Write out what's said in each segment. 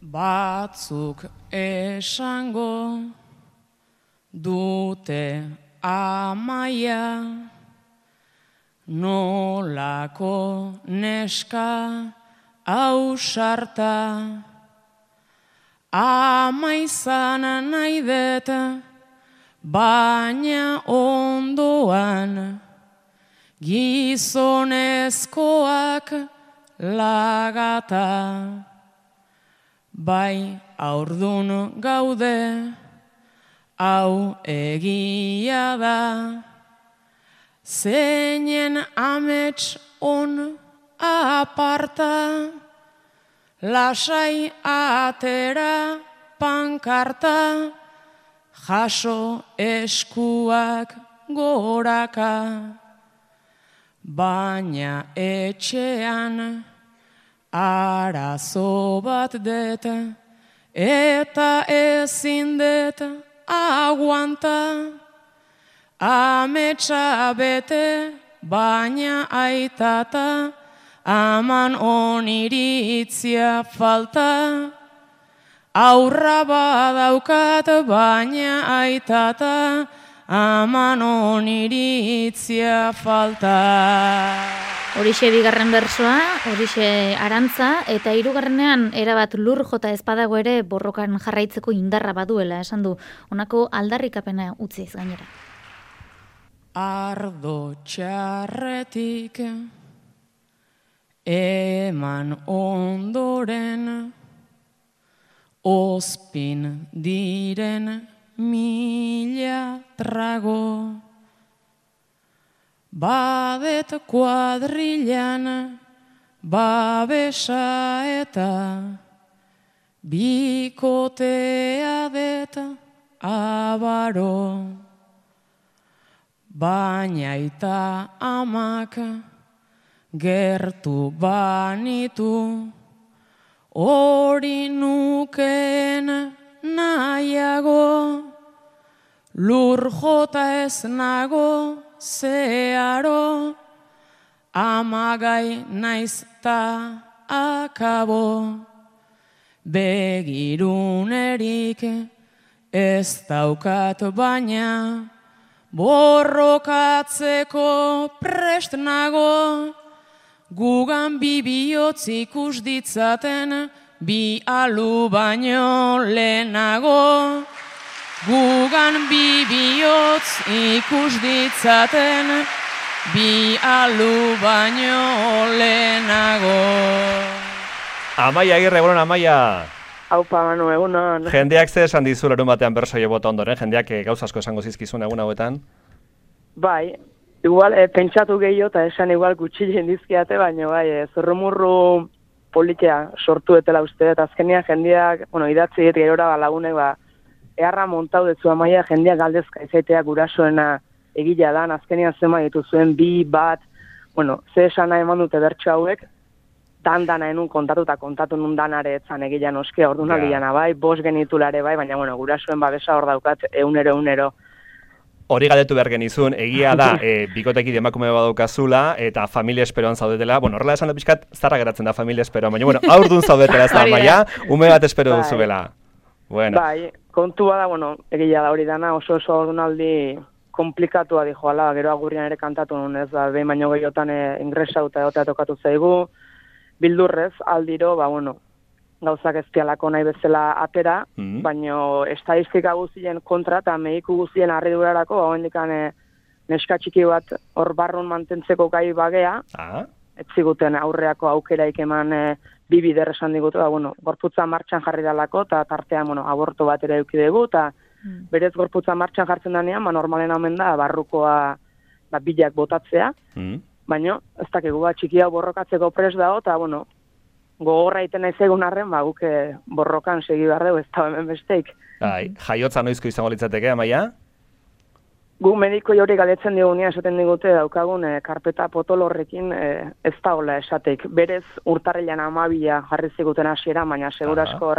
Batzuk esango dute amaia, nolako neska ausarta, ama izan nahi dut, baina ondoan gizonezkoak lagata. Bai aurdun gaude, hau egia da, zeinen amets on aparta, lasai atera pankarta, jaso eskuak goraka. Baina etxean arazo bat dut, eta ezin dut aguanta. Ametsa bete, baina aitata, aman oniritzia falta. Aurra badaukat, baina aitata, aman oniritzia falta. Horixe bigarren bersoa, horixe arantza, eta hirugarrenean erabat lur jota ez badago ere borrokan jarraitzeko indarra baduela, esan du, honako aldarrikapena utziz gainera. Ardo txarretik eman ondoren, ospin diren mila trago. Badet kuadrilan babesa eta bikotea det abaro. Baina eta amak gertu banitu, hori nukeen nahiago, lur jota ez nago zeharo, amagai naiz ta akabo. Begirunerik ez daukat baina, borrokatzeko prest nago, gugan bi bihotz ikus ditzaten, bi alu baino lehenago. Gugan bi bihotz ikus ditzaten, bi alu baino lehenago. Amaia Agirre, egunon, Amaia. Aupa, Manu, egunon. Jendeak ze esan dizu larun batean bersoie bota ondoren, jendeak gauza asko esango zizkizun egun hauetan? Bai, igual pentsatu gehiago eta esan igual gutxi dizkiate, baina bai, zurrumurru politia sortu etela uste, eta azkenia jendeak, idatzi eta gerora lagunek, eharra montau detzu Amaia, jendeak galdezka izaitea gurasoena egila da, azkenian zema dituzuen bi bat, ze esana eman dute bertso hauek, dana enun kontatu nun danare etzan egila noske, ordunaldiana bai, 5 genitulare bai, baina gurasoen babesa hor daukat eunero. Hori galdetu behar genizun, egia da, bikotekide emakume badaukazula, eta familia esperoan zaudetela. Horrela esan da pixkat, zarra geratzen da familia esperoan, baina aurdun zaudetela ez da, Amaia, ume bat espero duzubela. Bai, kontua da, egia da hori dana, oso ordunaldi komplikatua di joala, gero agurrian ere kantatu nun, ez da, behin baino gehiotan ingresauta egotea tokatu zaigu, bildurrez, aldiro, gauzak ez dialako nahi bezala atera, baino estadistika guztien kontra eta mediku guztien harridurarako, hendikan neska txiki bat hor barrun mantentzeko gai bagea, ez ziguten aurreako aukeraik eman bi bider esan digute, gorputza martxan jarri dalako, eta tartean, aborto bat ere eduki dugu, eta berez gorputza martxan jartzen danean, normalen omen da, barrukoa bilak botatzea, baina, ez dakigu, txiki hau borrokatzeko pres dago, eta, gogorra iten naiz egun arren, guk borrokan segi behar dugu, ez da hemen besteik. Jaiotza noizko izango litzateke, Amaia? Gu mediko jori galetzen digunia esaten digute daukagun karpeta potolorrekin ez da hola esateik. Berez urtarrilan 12 jarri ziguten hasiera, baina segurasko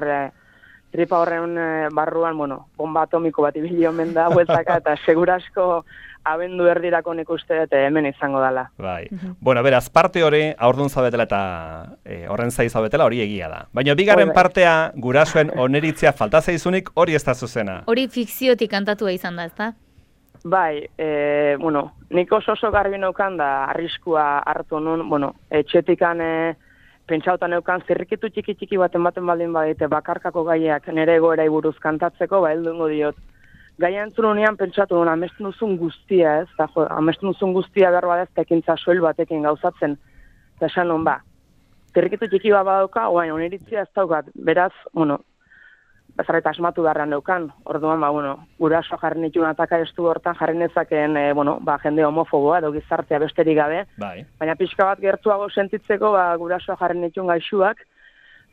tripa horren barruan, bueno, bomba atomiko bat ibili omen da, bueltaka, eta segurasko abendu erdirako nik uste dut hemen izango dela. Bai. Bueno, beraz, parte hori aurdun zaudetela eta horren zai zaudetela hori egia da. Baina bigarren partea gurasoen oneritzia falta zaizunik hori ez da zuzena. Hori fikziotik kantatua izan da, ezta? Bai, bueno, nik oso garbi neukan da arriskua hartu nun, bueno, etxetikan pentsauta neukan zirrikitu txiki baten baldin badite bakarkako gaiak nire egoerai buruz kantatzeko, ba, heldungo diot. Gaia entzununean pentsatu nuen, amesten duzun guztia, ez? Da, amesten duzun guztia behar badez, tekintza soil batekin gauzatzen. Eta esan nuen, ba, zirrikitu txiki bat badauka, oain, oniritzia ez daukat, beraz, bueno, bezarreta asmatu beharrean neukan. Orduan, ba, bueno, guraso jarri nituen ataka estu hortan jarri nezakeen, bueno, ba, jende homofoboa edo gizartea besterik gabe. Bai. Baina pixka bat gertuago sentitzeko, ba, guraso jarri nituen gaixuak,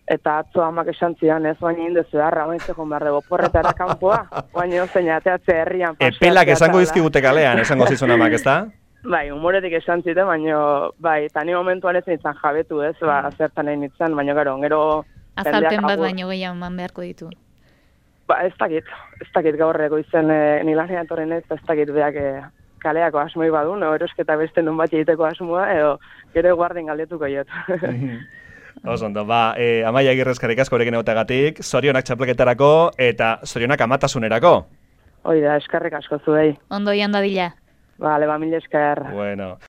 eta atzo amak esan zidan, ez baina indezu beharra, ointzeko behar dugu porretara kanpoa, baina zein ateatze herrian paseatzea. Epelak esango dizkigute kalean, esango zizun amak, ez da? Bai, humoretik esan zite, baina, bai, eta ni momentuan ez nintzen jabetu, ez, ba, zertan egin nintzen, baina gero... Azalpen bat baino gehiago eman beharko ditu. Ba, ez dakit gaurreko izen nilanean torren ez dakit beak kaleako asmoi badu, no, erosketa beste nun bat egiteko asmoa, edo gero guarden galdetuko jot. Osondo, ba, Amaia Agirrezkarrik asko horrekin egotagatik, zorionak txapleketarako eta zorionak amatasunerako. Hoi da, eskerrik asko zuei. Ondo ian dadila. Vale, ba, mil esker. Bueno.